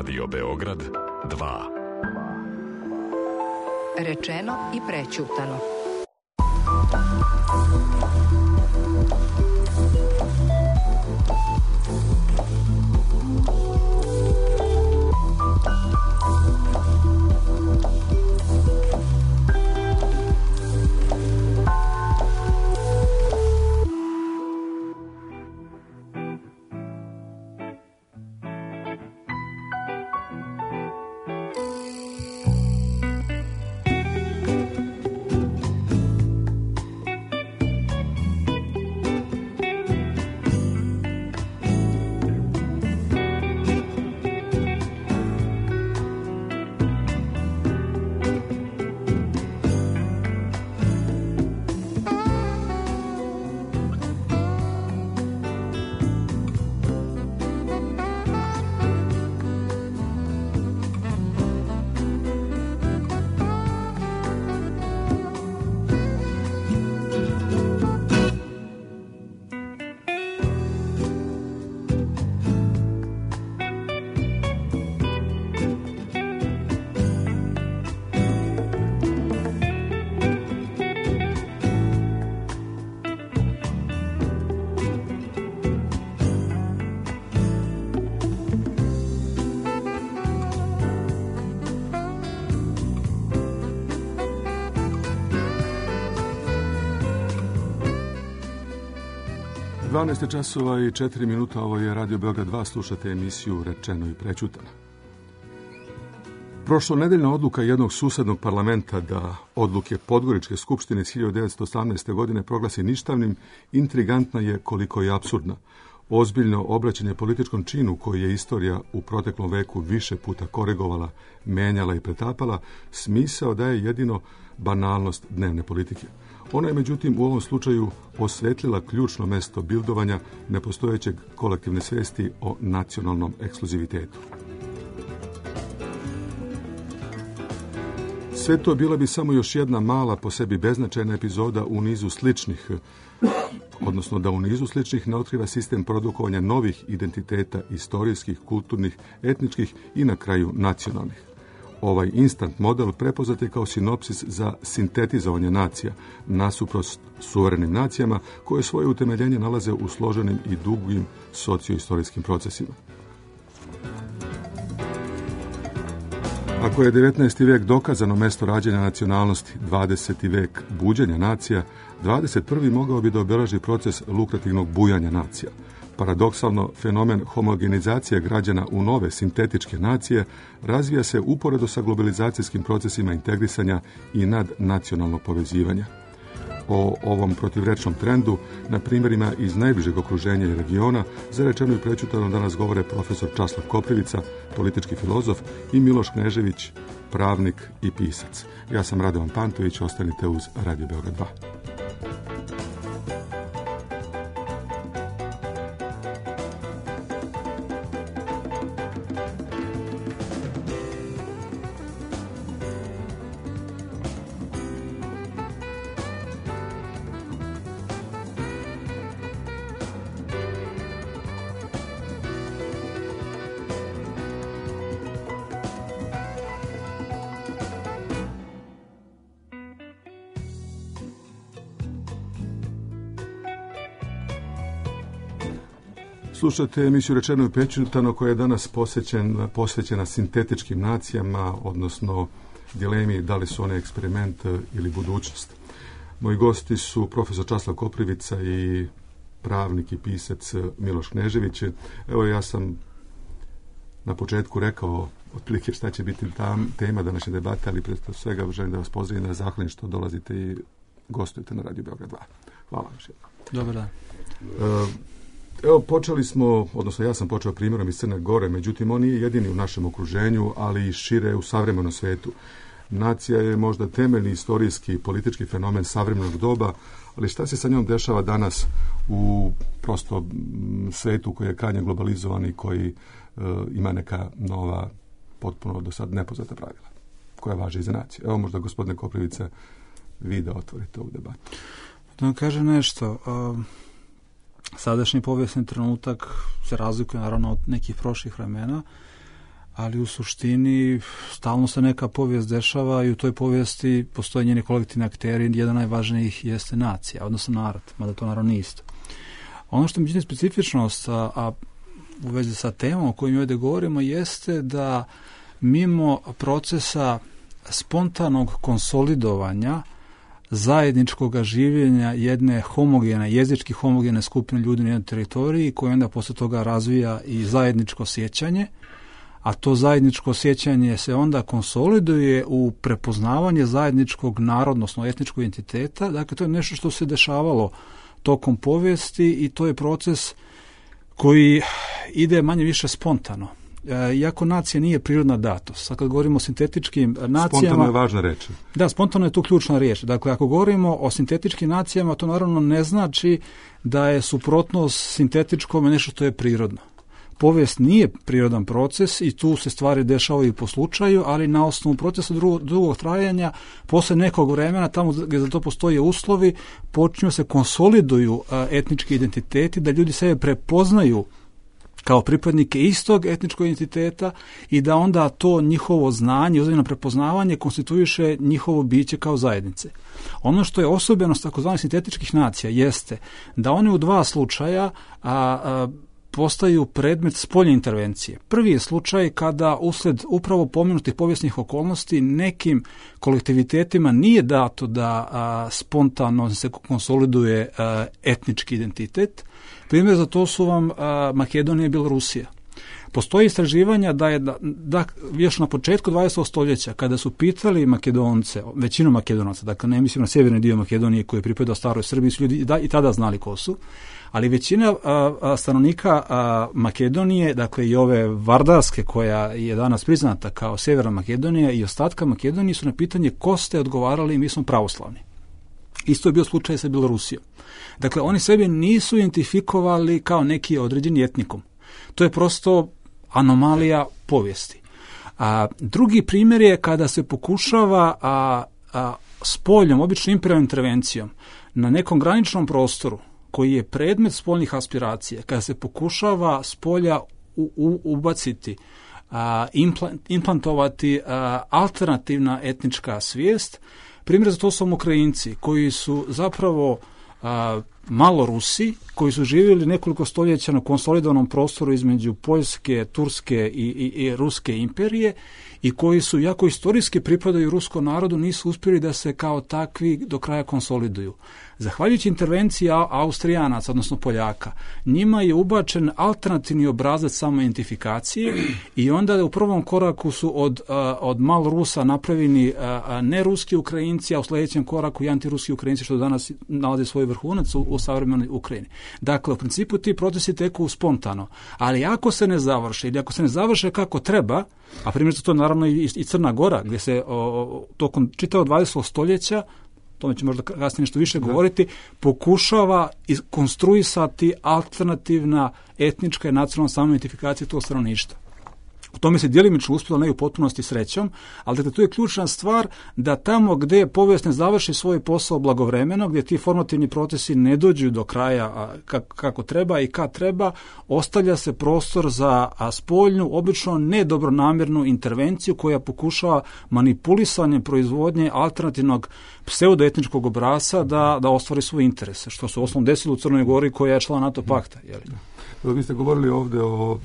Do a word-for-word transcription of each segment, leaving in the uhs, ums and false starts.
Radio Beograd dva. Rečeno i prećutano. dvanaest časova i četiri minuta, ovo je Radio Beograd dva, slušate emisiju Rečeno i prećutano. Prošlonedeljna odluka jednog susednog parlamenta da odluke Podgoričke skupštine iz hiljadu devetsto osamnaeste. godine proglasi ništavnim, intrigantna je koliko je apsurdna. Ozbiljno obraćanje političkom činu koji je istorija u proteklom veku više puta koregovala, menjala i pretapala, smisao daje jedino banalnost dnevne politike. Ona je, međutim, u ovom slučaju osvetlila ključno mesto bildovanja nepostojećeg kolektivne svesti o nacionalnom ekskluzivitetu. Sve to bila bi samo još jedna mala, po sebi beznačajna epizoda u nizu sličnih, odnosno da u nizu sličnih ne otkriva sistem produkovanja novih identiteta, istorijskih, kulturnih, etničkih i na kraju nacionalnih. Ovaj instant model prepoznat je kao sinopsis za sintetizovanje nacija, nasuprot suverenim nacijama koje svoje utemeljenje nalaze u složenim i dugim socioistorijskim procesima. Ako je devetnaesti. vek dokazano mesto rađanja nacionalnosti, dvadeseti. vek buđenja nacija, dvadeset prvi. mogao bi da obeleži proces lukrativnog bujanja nacija. Paradoksalno, fenomen homogenizacije građana u nove sintetičke nacije razvija se uporedo sa globalizacijskim procesima integrisanja i nadnacionalnog povezivanja. O ovom protivrečnom trendu, na primjerima iz najbližeg okruženja i regiona, za Rečeno i prećutano danas govore profesor Časlav Koprivica, politički filozof, i Miloš Knežević, pravnik i pisac. Ja sam Radovan Pantović, ostanite uz Radio Beograd dva. Slušate emisiju Rečeno i prećutano koja je danas posvećen, posvećena sintetičkim nacijama, odnosno dilemi da li su one eksperiment ili budućnost. Moji gosti su profesor Časlav Koprivica i pravnik i pisac Miloš Knežević. Evo, ja sam na početku rekao otprilike šta će biti tam, tema današnje debate, ali prije svega želim da vas pozdravim, da zahvalim što dolazite i gostujete na Radio Beograd dva. Hvala vam. Dobar dan. Uh, Evo, počeli smo, odnosno ja sam počeo primjerom iz Crne Gore, međutim, on nije jedini u našem okruženju, ali i šire u savremenom svetu. Nacija je možda temeljni istorijski i politički fenomen savremenog doba, ali šta se sa njom dešava danas u prosto svetu koji je krajnje globalizovan i koji e, ima neka nova, potpuno do sad nepoznata pravila, koja važe i za naciju. Evo, možda, gospodine Koprivice, vi da otvorite ovu debatu. Da vam kažem nešto. Um... Sadašnji povijesni trenutak se razlikuje naravno od nekih prošlih vremena, ali u suštini stalno se neka povijest dešava i u toj povijesti postoje njeni kolektivni akteri, jedan najvažnijih jeste nacija, odnosno narod, mada to naravno nije isto. Ono što mi čini specifičnost, a, a u vezi sa temom o kojoj mi ovdje govorimo, jeste da mimo procesa spontanog konsolidovanja zajedničkog življenja jedne homogene, jezički homogene skupine ljudi na jednoj teritoriji, koja onda posle toga razvija i zajedničko sjećanje, a to zajedničko sjećanje se onda konsoliduje u prepoznavanje zajedničkog narodnosno etničkog identiteta. Dakle, to je nešto što se dešavalo tokom povijesti i to je proces koji ide manje više spontano. E, iako nacija nije prirodna datost. Sad kad govorimo o sintetičkim nacijama... Spontano je važna reč. Da, spontano je tu ključna riječ. Dakle, ako govorimo o sintetičkim nacijama, to naravno ne znači da je suprotnost sintetičkom nešto što je prirodno. Povijest nije prirodan proces i tu se stvari dešavaju po slučaju, ali na osnovu procesa drugog, drugog trajanja, posle nekog vremena, tamo gdje za to postoje uslovi, počinju se konsoliduju a, etnički identiteti, da ljudi sebe prepoznaju kao pripadnike istog etničkog identiteta i da onda to njihovo znanje, uzajamno prepoznavanje konstituiše njihovo biće kao zajednice. Ono što je osobenost takozvanih sintetičkih nacija jeste da one u dva slučaja a, a, postaju predmet spoljne intervencije. Prvi je slučaj kada usled upravo pomenutih povijesnih okolnosti nekim kolektivitetima nije dato da a, spontano se konsoliduje a, etnički identitet. Primjer za to su vam a, Makedonija i Bjelorusija. Postoji istraživanja da je da, da još na početku dvadesetog stoljeća, kada su pitali Makedonce, većinu Makedonaca, dakle ne mislim na sjeverni dio Makedonije koji je pripadao staroj Srbiji, su ljudi da, i tada znali ko su, ali većina a, a, stanovnika a, Makedonije, dakle i ove Vardarske koja je danas priznata kao Sjeverna Makedonija i ostatka Makedonije, su na pitanje ko ste odgovarali, mi smo pravoslavni. Isto je bio slučaj sa Bjelorusijom. Dakle, oni sebe nisu identifikovali kao neki određeni etnikum. To je prosto anomalija povijesti. A, drugi primjer je kada se pokušava a, a, spoljnom, obično imperijalnom intervencijom na nekom graničnom prostoru koji je predmet spoljnih aspiracija, kada se pokušava s polja u, u, ubaciti, a, implant, implantovati a, alternativna etnička svijest. Primjer za to su Ukrajinci koji su zapravo a, malo Rusi, koji su živjeli nekoliko stoljeća na konsolidovanom prostoru između Poljske, Turske i, i, i Ruske imperije i koji su, jako istorijski pripadaju ruskom narodu, nisu uspjeli da se kao takvi do kraja konsoliduju. Zahvaljujući intervenciji Austrijanaca, odnosno Poljaka, njima je ubačen alternativni obrazac samoidentifikacije i onda u prvom koraku su od, od malo Rusa napravljeni neruski Ukrajinci, a u sljedećem koraku i antiruski Ukrajinci, što danas nalaze svoj vrhunac u, u savremenoj Ukrajini. Dakle, u principu ti procesi teku spontano, ali ako se ne završe ili ako se ne završe kako treba, a primjer za to naravno i, i Crna Gora, gdje se o, tokom čitavog dvadesetog stoljeća, tome će možda kasnije nešto više govoriti, pokušava konstruisati alternativna etnička i nacionalna samoidentifikacija tog stanovništva. U tome se djelimično uspjelo, ne u potpunosti srećom, ali dakle, tu je ključna stvar da tamo gdje povijest ne završi svoj posao blagovremeno, gdje ti formativni procesi ne dođu do kraja kako treba i kad treba, ostavlja se prostor za spoljnu, obično nedobronamjernu intervenciju koja pokušava manipulisanjem proizvodnje alternativnog pseudoetničkog obrasca da, da ostvari svoje interese, što se u osnovom desilo u Crnoj Gori koja je član NATO pakta. Jeli? Vi ste govorili ovdje o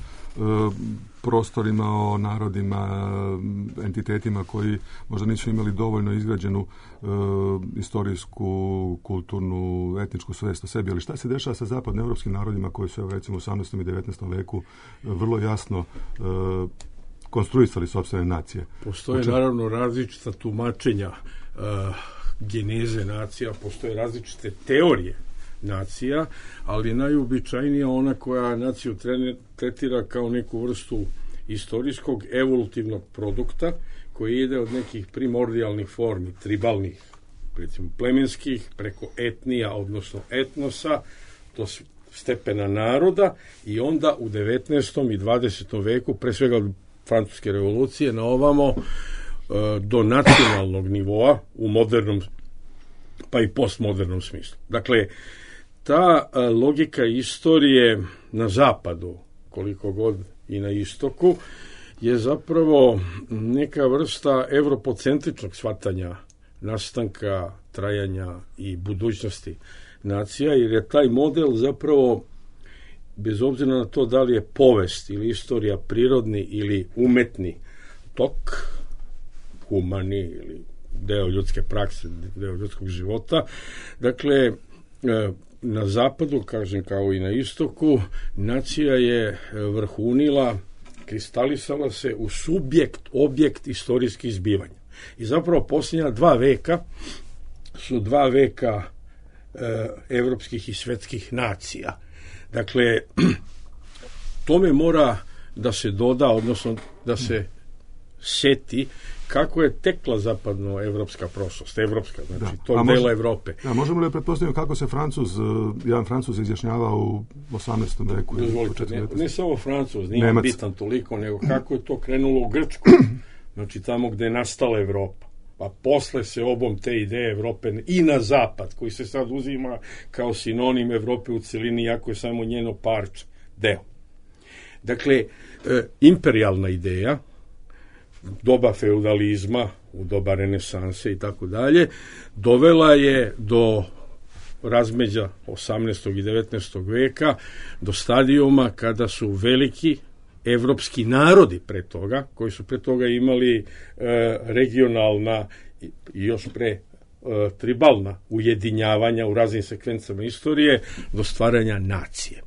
prostorima, o narodima, entitetima koji možda nisu imali dovoljno izgrađenu e, istorijsku, kulturnu, etničku svijest o sebi, ali šta se dešava sa zapadnoevropskim narodima koji su, recimo, u osamnaestom i devetnaestom veku vrlo jasno e, konstruisali sopstvene nacije? Postoje Oče... naravno različita tumačenja uh, geneze nacija, postoje različite teorije nacija, ali najuobičajnija ona koja naciju tretira kao neku vrstu istorijskog evolutivnog produkta koji ide od nekih primordijalnih formi, tribalnih, recimo plemenskih, preko etnija, odnosno etnosa, do stepena naroda i onda u devetnaestom i dvadesetom veku, pre svega od Francuske revolucije na ovamo, do nacionalnog nivoa u modernom pa i postmodernom smislu. Dakle, ta logika istorije na zapadu, koliko god i na istoku, je zapravo neka vrsta evropocentričnog shvatanja nastanka, trajanja i budućnosti nacija, jer je taj model zapravo, bez obzira na to da li je povest ili istorija prirodni ili umetni tok, humani ili deo ljudske prakse, deo ljudskog života, dakle, na zapadu, kažem kao i na istoku, nacija je vrhunila, kristalisala se u subjekt, objekt istorijskih zbivanja. I zapravo posljednja dva veka su dva veka e, evropskih i svetskih nacija. Dakle, tome mora da se doda, odnosno da se seti kako je tekla zapadnoevropska prošlost, evropska, znači da. To dela Evrope. Da, možemo li pretpostaviti kako se Francuz, jedan Francuz izjašnjavao u osamnaestom veku? Dozvolite, ne, ne samo Francuz, nije Nemac. Bitan toliko, nego kako je to krenulo u Grčku, znači tamo gde je nastala Evropa. Pa posle se obom te ideje Evrope i na zapad, koji se sad uzima kao sinonim Evrope u celini, iako je samo njeno parče, deo. Dakle, e, imperijalna ideja, doba feudalizma, u doba renesanse i tako dalje, dovela je do razmeđa osamnaestog i devetnaestog veka, do stadijuma kada su veliki evropski narodi pre toga, koji su pre toga imali e, regionalna i još pre e, tribalna ujedinjavanja u raznim sekvencama istorije, do stvaranja nacije.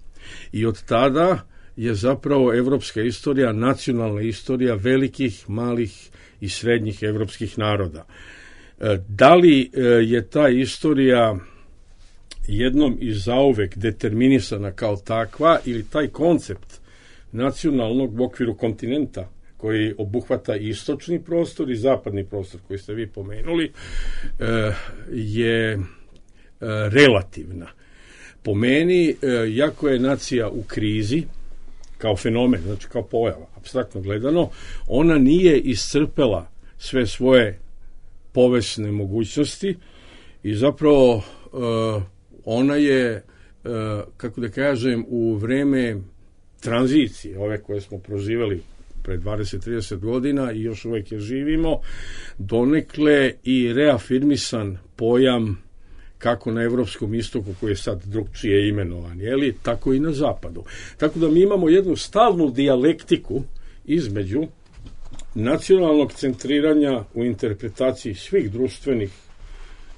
I od tada je zapravo evropska istorija, nacionalna istorija velikih, malih i srednjih evropskih naroda. E, da li e, je ta istorija jednom i zauvek determinisana kao takva, ili taj koncept nacionalnog u okviru kontinenta koji obuhvata istočni prostor i zapadni prostor koji ste vi pomenuli, e, je e, relativna. Po meni, e, jako je nacija u krizi, kao fenomen, znači kao pojava, apstraktno gledano, ona nije iscrpela sve svoje povesne mogućnosti i zapravo uh, ona je, uh, kako da kažem, u vreme tranzicije, ove koje smo proživjeli pre dvadeset do trideset godina i još uvijek je živimo, donekle i reafirmisan pojam kako na evropskom istoku, koji je sad drugčije imenovan, jeli, tako i na zapadu. Tako da mi imamo jednu stalnu dijalektiku između nacionalnog centriranja u interpretaciji svih društvenih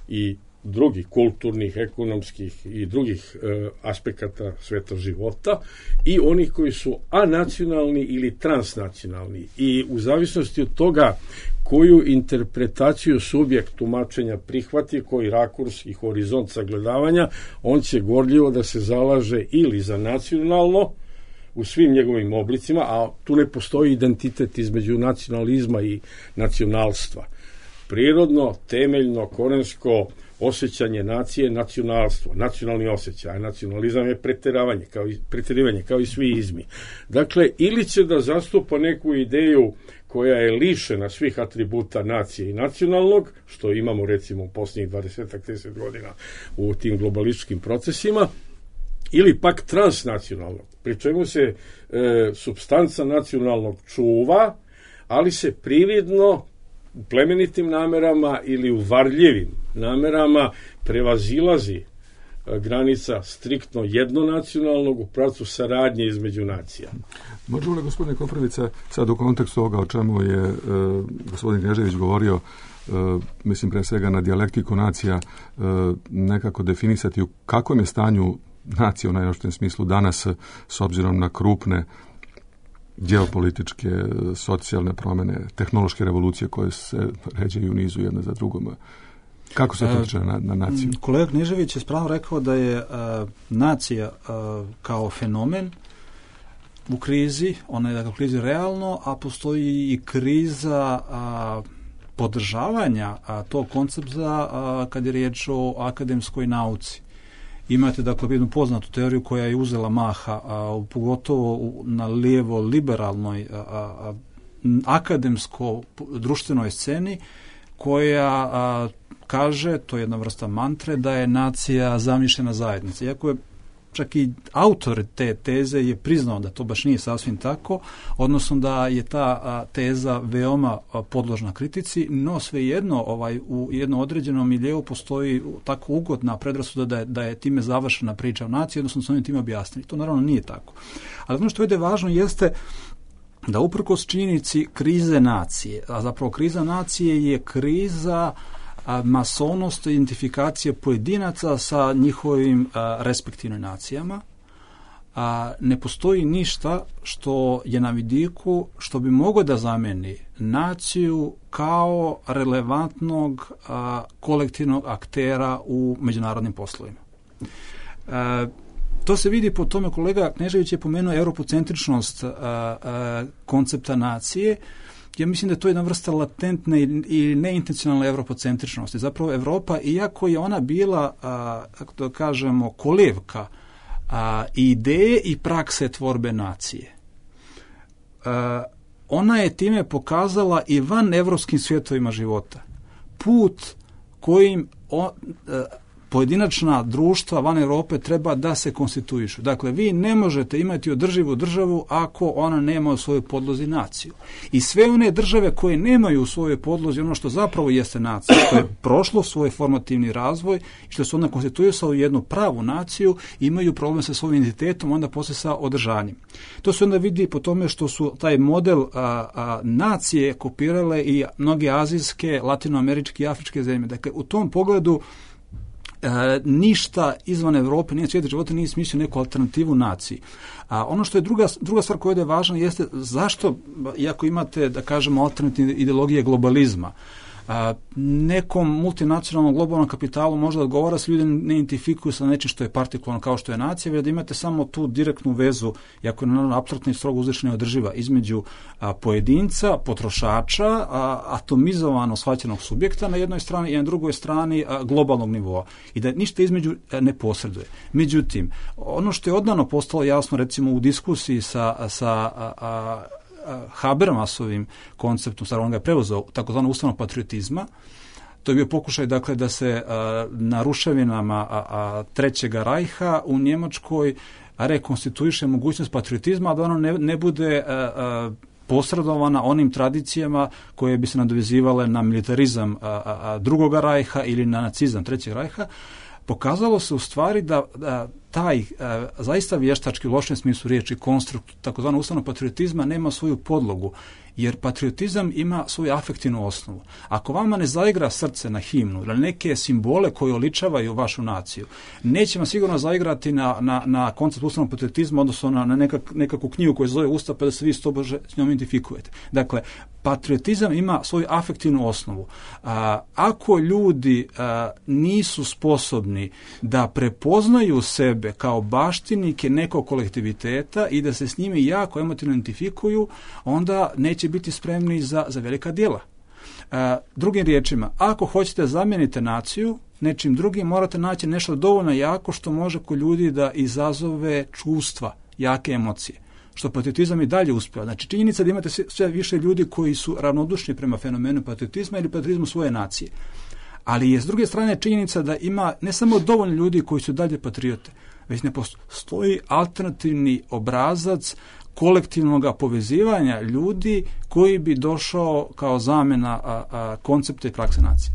i drugih kulturnih, ekonomskih i drugih e, aspekata sveta života i onih koji su anacionalni ili transnacionalni. I u zavisnosti od toga koju interpretaciju subjekt tumačenja prihvati, koji rakurs i horizont sagledavanja, on će gorljivo da se zalaže ili za nacionalno u svim njegovim oblicima, a tu ne postoji identitet između nacionalizma i nacionalstva. Prirodno, temeljno, korensko osjećanje nacije, nacionalstvo, nacionalni osjećaj, a nacionalizam je preteravanje, kao i, preterivanje, kao i svi izmi. Dakle, ili će da zastupa neku ideju koja je lišena svih atributa nacije i nacionalnog, što imamo recimo u posljednjih dvadeset do trideset godina u tim globalističkim procesima, ili pak transnacionalnog, pri čemu se e, supstanca nacionalnog čuva, ali se prividno u plemenitim namerama ili u varljivim namerama prevazilazi granica striktno jednonacionalnog u pravcu saradnje između nacija. Možemo li, gospodine Koprivica, sad u kontekstu ovoga o čemu je e, gospodin Knežević govorio, e, mislim pre svega na dijalektiku nacija, e, nekako definisati u kakvom je stanju nacija u najopštijem smislu danas s obzirom na krupne geopolitičke, socijalne promjene, tehnološke revolucije koje se ređaju u nizu jedna za drugom. Kako se to tiče na, na naciju? Kolega Knežević je spravo rekao da je a, nacija a, kao fenomen u krizi, ona je dakle u krizi realno, a postoji i kriza a, podržavanja a, tog koncepta a, kad je riječ o akademskoj nauci. Imate dakle jednu poznatu teoriju koja je uzela maha, a, pogotovo na lijevo liberalnoj a, a, akademsko društvenoj sceni, koja a, kaže, to je jedna vrsta mantre, da je nacija zamišljena zajednica. Iako je čak i autor te teze je priznao da to baš nije sasvim tako, odnosno da je ta a, teza veoma a, podložna kritici, no svejedno ovaj, u jednom određenom miljeu postoji tako ugodna predrasuda da je, da je time završena priča o naciji, odnosno su oni time objasnili. To naravno nije tako. Ali ono što je važno jeste da uprkos činjenici krize nacije, a zapravo kriza nacije je kriza a, masovnosti identifikacije pojedinaca sa njihovim a, respektivnim nacijama, a ne postoji ništa što je na vidiku što bi moglo da zameni naciju kao relevantnog a, kolektivnog aktera u međunarodnim poslovima. A, To se vidi po tome, kolega Knežević je pomenuo europocentričnost a, a, koncepta nacije. Ja mislim da je to jedna vrsta latentne i neintencionalne europocentričnosti. Zapravo Evropa, iako je ona bila, a, kako da kažemo, kolevka a, ideje i prakse tvorbe nacije, a, ona je time pokazala i van evropskim svjetovima života put kojim on, a, pojedinačna društva van Europe treba da se konstituišu. Dakle, vi ne možete imati održivu državu ako ona nema u svojoj podlozi naciju. I sve one države koje nemaju u svojoj podlozi ono što zapravo jeste nacija, što je prošlo svoj formativni razvoj i što su onda konstituisali u jednu pravu naciju, imaju problem sa svojim identitetom, onda posle sa održanjem. To se onda vidi po tome što su taj model a, a, nacije kopirale i mnoge azijske, latinoameričke i afričke zemlje. Dakle, u tom pogledu E, ništa izvan Evrope, nije svijet života, nije smislio neku alternativu naciji. A ono što je druga, druga stvar koja je važna jeste zašto, iako imate, da kažemo, alternativne ideologije globalizma, a, nekom multinacionalnom globalnom kapitalu možda odgovara se ljudi ne identifikuju sa nečim što je partikularno kao što je nacija, već da imate samo tu direktnu vezu, iako je naravno apsolutno i strogo uzvišena i održiva, između a, pojedinca, potrošača, a, atomizovano shvaćenog subjekta na jednoj strani i na drugoj strani a, globalnog nivoa. I da ništa između a, ne posreduje. Međutim, ono što je odavno postalo jasno, recimo u diskusiji sa, sa a, a, Habermasovim konceptom, stvarno on ga je preuzeo, takozvano ustavnog patriotizma. To je bio pokušaj, dakle, da se a, na ruševinama a, a, Trećega rajha u Njemačkoj rekonstituiše mogućnost patriotizma, a da ono ne, ne bude a, a, posredovana onim tradicijama koje bi se nadovezivale na militarizam a, a, a, Drugoga rajha ili na nacizam Trećeg rajha. Pokazalo se u stvari da, da taj e, zaista vještački u lošem smislu riječi konstrukt takozvanog ustavnog patriotizma nema svoju podlogu, jer patriotizam ima svoju afektivnu osnovu. Ako vama ne zaigra srce na himnu ili neke simbole koje oličavaju vašu naciju, neće vam sigurno zaigrati na, na, na koncept ustavnog patriotizma, odnosno na, na nekak, nekakvu knjigu koju zove Ustav, pa da se vi stobože s njom identifikujete. Dakle, patriotizam ima svoju afektivnu osnovu. A, ako ljudi a, nisu sposobni da prepoznaju sebe kao baštinike nekog kolektiviteta i da se s njimi jako emotivno identifikuju, onda neće biti spremni za, za velika djela. A, drugim riječima, ako hoćete zamijeniti naciju nečim drugim, morate naći nešto dovoljno jako što može kod ljudi da izazove čustva, jake emocije, što patriotizam i dalje uspjeva. Znači, činjenica da imate sve više ljudi koji su ravnodušni prema fenomenu patriotizma ili patriotizmu svoje nacije. Ali je s druge strane činjenica da ima ne samo dovoljno ljudi koji su dalje patriote, već ne postoji alternativni obrazac kolektivnog povezivanja ljudi koji bi došao kao zamjena a, a, koncepta i prakse nacije.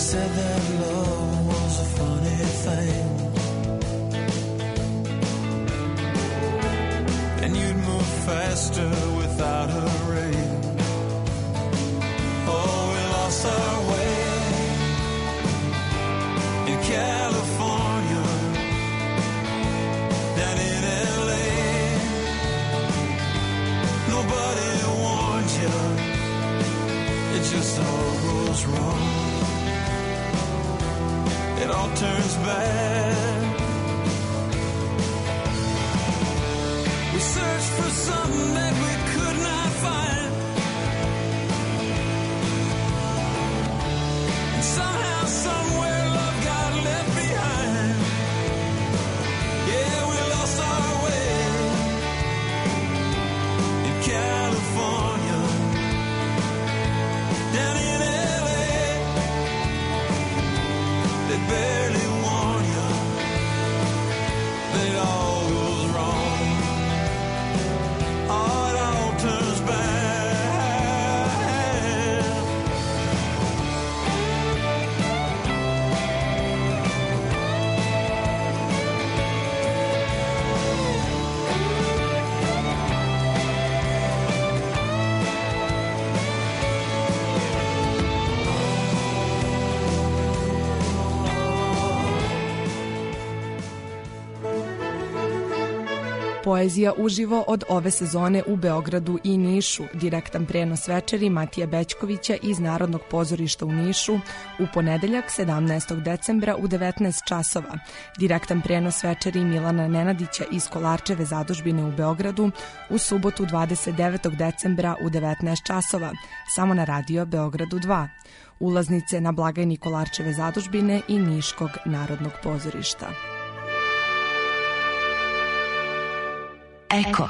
Said that love was a funny thing. just all goes wrong. It all turns bad. We searched for something that we could not find, and somehow, somewhere, love got left behind. Yeah, we lost our way in California, down in L A. They barely warn you that it all goes wrong. Oh, it all turns bad. Poezija uživo od ove sezone u Beogradu i Nišu. Direktan prenos večeri Matije Bećkovića iz Narodnog pozorišta u Nišu u ponedeljak sedamnaestog decembra u devetnaest časova. Direktan prenos večeri Milana Nenadića iz Kolarčeve zadužbine u Beogradu u subotu dvadeset devetog decembra u devetnaest časova. Samo na radio Beogradu dva. Ulaznice na blagajni Kolarčeve zadužbine i Niškog Narodnog pozorišta. Eko.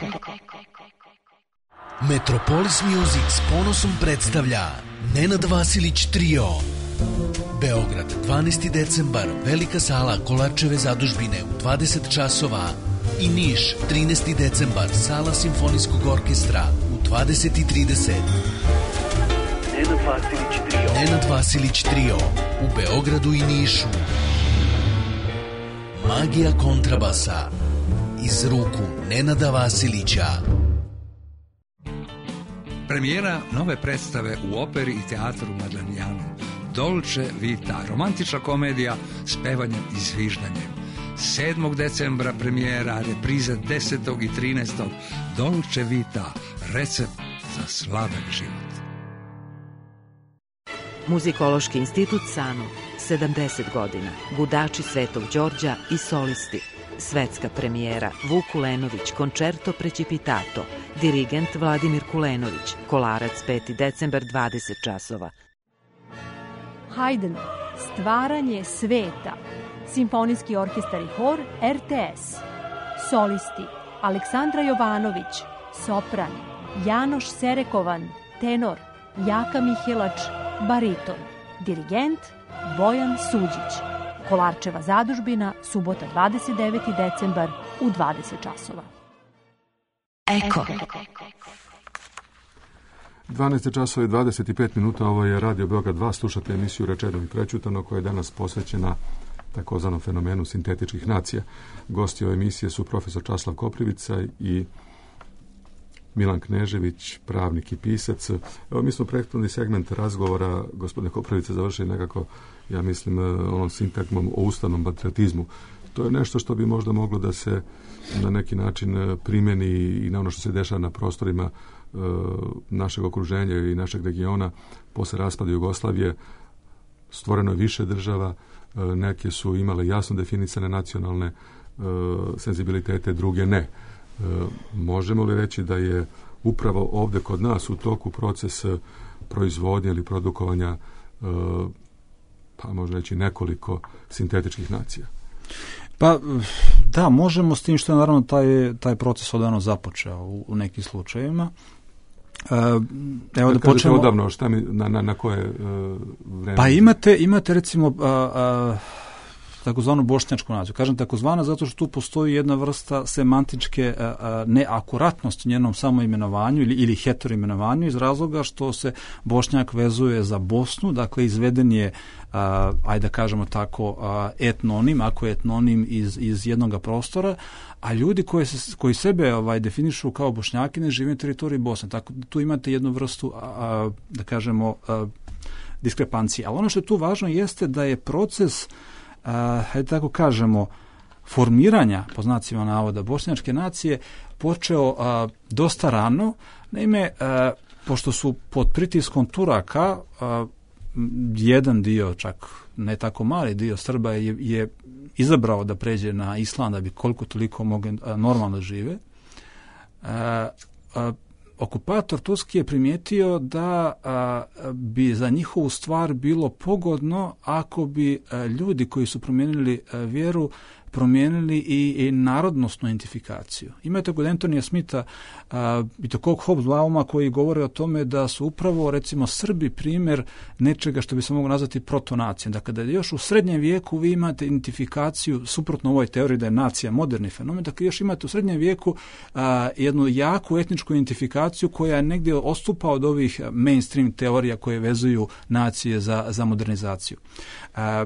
Metropolis Music s ponosom predstavlja Nenad Vasilić Trio. Beograd, dvanaesti decembar, velika sala Kolarčeve zadužbine u dvadeset časova. I Niš, trinaesti decembar, sala Simfonijskog orkestra u dvadeset i trideset. Nenad Vasilić Trio. Nenad Vasilić Trio u Beogradu i Nišu. Magija kontrabasa iz ruku Nenada Vasilića. Premijera nove predstave u operi i teatru Madlenijanu. Dolce Vita, romantična komedija s pevanjem i zviždanjem. sedmog decembra premijera, reprize desetog i trinaestog Dolce Vita, recept za sladak život. Muzikološki institut Sanu, sedamdeset godina, Gudači Svetog Đorđa i solisti. Svetska premijera Vuk Kulenović, koncerto Precipitato, dirigent Vladimir Kulenović, Kolarac peti decembar, dvadeset časova. Haydn, Stvaranje sveta, Simfonijski orkestar i hor R T S. Solisti Aleksandra Jovanović, sopran, Janoš Serekovan, tenor, Jaka Mihelač, bariton, dirigent Bojan Suđić. Kolarčeva zadužbina, subota dvadeset deveti decembar u dvadeset časova. Eko. dvanaest časova i dvadeset pet minuta, ovo je Radio Beograd dva, slušate emisiju Rečeno i prećutano koja je danas posvećena takozvanom fenomenu sintetičkih nacija. Gosti ove emisije su profesor Časlav Koprivica i Milan Knežević, pravnik i pisac. Evo, mi smo prethodni segment razgovora, gospodine Koprivica, završili nekako, ja mislim, onom sintagmom o ustavnom patriotizmu. To je nešto što bi možda moglo da se na neki način primeni i na ono što se dešava na prostorima e, našeg okruženja i našeg regiona. Posle raspada Jugoslavije stvoreno je više država, e, neke su imale jasno definisane nacionalne e, senzibilitete, druge ne. E, možemo li reći da je upravo ovde kod nas u toku proces proizvodnje ili produkovanja e, pa možda reći nekoliko sintetičkih nacija? Pa da, možemo, s tim što je naravno taj, taj proces odavno započeo u, u nekim slučajevima. E, evo da, da počnemo odavno, šta mi, na, na, na koje e, vreme? Pa imate, imate recimo a, a, takozvanu bošnjačku naciju. Kažem takozvana zato što tu postoji jedna vrsta semantičke a, a, neakuratnosti njenom samoimenovanju ili, ili heteroimenovanju iz razloga što se Bošnjak vezuje za Bosnu, dakle izveden je a, ajde da kažemo tako a, etnonim, ako je etnonim iz, iz jednog prostora, a ljudi koji, se, koji sebe ovaj, definišu kao Bošnjaki ne žive na teritoriji Bosne. Tako da tu imate jednu vrstu a, a, da kažemo a, diskrepancije. Ali ono što je tu važno jeste da je proces Uh, hajde tako kažemo, formiranja, po znacima navoda, bošnjačke nacije počeo uh, dosta rano. Naime, uh, pošto su pod pritiskom Turaka, a, jedan dio, čak ne tako mali dio Srba je, je izabrao da pređe na islam da bi koliko toliko mogli normalno žive. A, a, okupator Turski je primijetio da a, bi za njihovu stvar bilo pogodno ako bi a, ljudi koji su promijenili a, vjeru promijenili i, i narodnosnu identifikaciju. Imate kod Antonija Smitha a, i to kog Hobsbauma koji govore o tome da su upravo recimo Srbi primjer nečega što bi se moglo nazvati protonacijom. Dakle, da još u srednjem vijeku vi imate identifikaciju, suprotno ovoj teoriji da je nacija moderni fenomen, dakle još imate u srednjem vijeku a, jednu jaku etničku identifikaciju koja negdje odstupa od ovih mainstream teorija koje vezuju nacije za, za modernizaciju. A,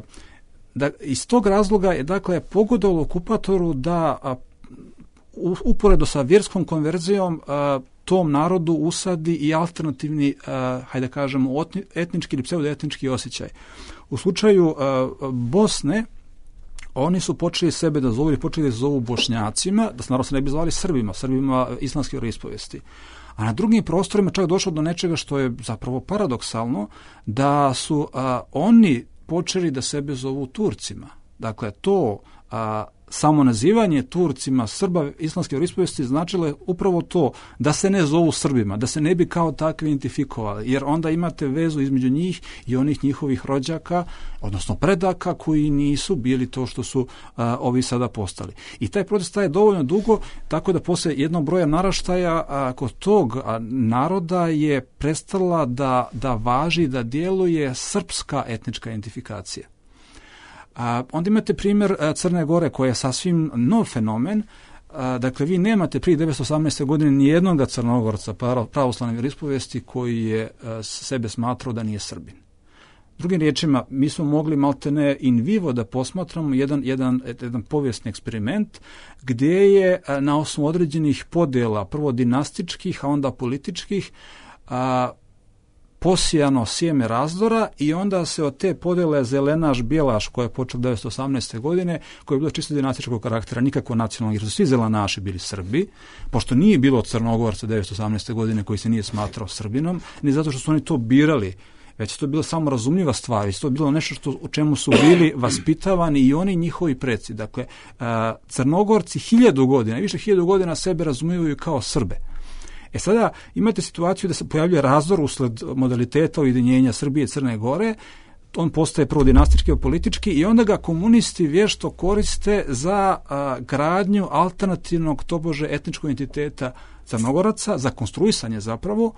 Da, iz tog razloga je dakle pogodovalo okupatoru da a, u, uporedo sa vjerskom konverzijom a, tom narodu usadi i alternativni, a, hajde kažemo, etnički ili pseudoetnički osjećaj. U slučaju a, Bosne oni su počeli sebe da zovu ili počeli da zovu Bošnjacima, da se naravno se ne bi zvali Srbima, Srbima islamske vjeroispovesti. A na drugim prostorima čak došlo do nečega što je zapravo paradoksalno, da su a, oni počeli da sebe zovu Turcima. Dakle, to a, samo nazivanje Turcima Srba islamske vjeroispovesti značilo je upravo to da se ne zovu Srbima, da se ne bi kao takvi identifikovali, jer onda imate vezu između njih i onih njihovih rođaka, odnosno predaka koji nisu bili to što su a, ovi sada postali. I taj proces traje dovoljno dugo, tako da posle jednog broja naraštaja a, kod tog a, naroda je prestala da, da važi, da djeluje srpska etnička identifikacija. A, onda imate primjer a, Crne Gore koja je sasvim nov fenomen. A, dakle, vi nemate prije devetsto osamnaeste. godine nijednog Crnogorca pravoslavne vjeroispovesti koji je a, sebe smatrao da nije Srbin. Drugim riječima, mi smo mogli maltene in vivo da posmatramo jedan, jedan, jedan povijesni eksperiment gdje je a, na osnovu određenih podjela, prvo dinastičkih, a onda političkih, a, posijano sjeme razdora i onda se od te podjele zelenaš-bijelaš koja je počela devetsto osamnaeste. godine, koja je bila čisto dinastičkog karaktera, nikako nacionalnog, jer su svi zelenaši bili Srbi, pošto nije bilo Crnogorca devetsto osamnaeste. godine koji se nije smatrao Srbinom, ni zato što su oni to birali, već to je bilo samo razumljiva stvar, i to je bilo nešto što, u čemu su bili vaspitavani i oni njihovi preci. Dakle, Crnogorci hiljadu godina, više hiljadu godina sebe razumiju kao Srbe. E sada imate situaciju da se pojavljuje razdor usled modaliteta ujedinjenja Srbije i Crne Gore, on postaje prvo dinastički i politički i onda ga komunisti vješto koriste za a, gradnju alternativnog tobože etničkog identiteta Crnogoraca, za konstruisanje zapravo,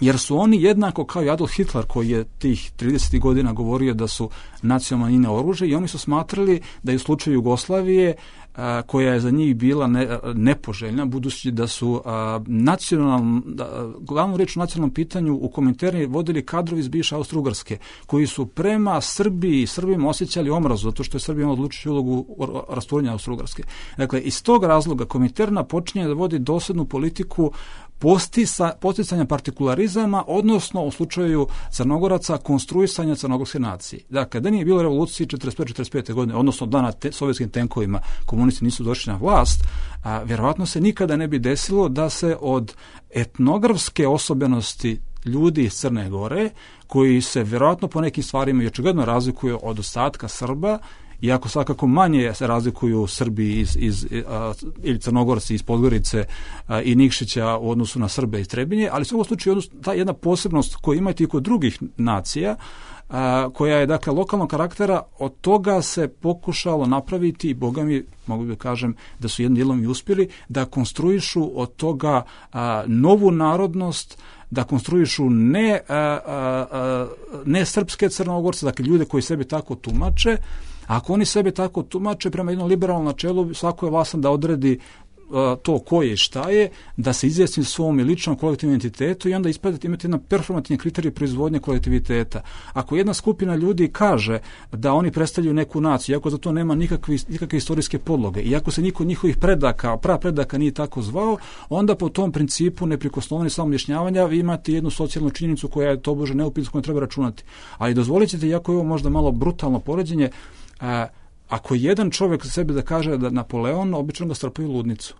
jer su oni jednako kao i Adolf Hitler koji je tih tridesetih godina govorio da su nacionalne manjine oružje, i oni su smatrali da je u slučaju Jugoslavije a, koja je za njih bila ne, nepoželjna, budući da su a, nacionalno, da, glavnu riječ o nacionalnom pitanju u Kominterniji vodili kadrovi iz bivše Austro-Ugarske, koji su prema Srbiji i Srbima osjećali omrazu, zato što je Srbija imala odlučujuću ulogu rasturenja Austro-Ugarske. Dakle, iz tog razloga Kominterna počinje da vodi dosljednu politiku posticanja partikularizama, odnosno u slučaju Crnogoraca konstruisanja crnogorske nacije. Dakle, da nije bilo revolucije četrdeset prve četrdeset pete. godine, odnosno dana te, sovjetskim tenkovima komunisti nisu došli na vlast, a vjerovatno se nikada ne bi desilo da se od etnografske osobenosti ljudi iz Crne Gore, koji se vjerovatno po nekim stvarima i očigledno razlikuju od ostatka Srba, iako svakako manje se razlikuju Srbi iz, iz, a, ili Crnogorci iz Podgorice a, i Nikšića u odnosu na Srbe iz Trebinje, ali u ovom slučaju ta jedna posebnost koju imate i kod drugih nacija, a, koja je dakle lokalnog karaktera, od toga se pokušalo napraviti i Boga mi, mogu da kažem da su jednim dijelom i uspjeli, da konstruišu od toga a, novu narodnost, da konstruišu ne, a, a, a, ne srpske Crnogorce, dakle ljude koji sebe tako tumače. Ako oni sebe tako tumače prema jednom liberalnom načelu, svako je vlasan da odredi uh, to ko je i šta je, da se izjasni svom ličnom kolektivnom identitetu i onda ispadati imati jedan performativni kriterij proizvodnje kolektiviteta. Ako jedna skupina ljudi kaže da oni predstavljaju neku naciju, iako za to nema nikakve, nikakve istorijske podloge, iako se niko od njihovih predaka, prav predaka nije tako zvao, onda po tom principu neprikosnoveni samoobjašnjavanja vi imate jednu socijalnu činjenicu koja je tobože neupitna, s kojom treba računati. Ali dozvolit ćete, iako je ovo možda malo brutalno poređenje, A, ako jedan čovjek za sebe da kaže da Napoleon, obično ga strpaju u ludnicu.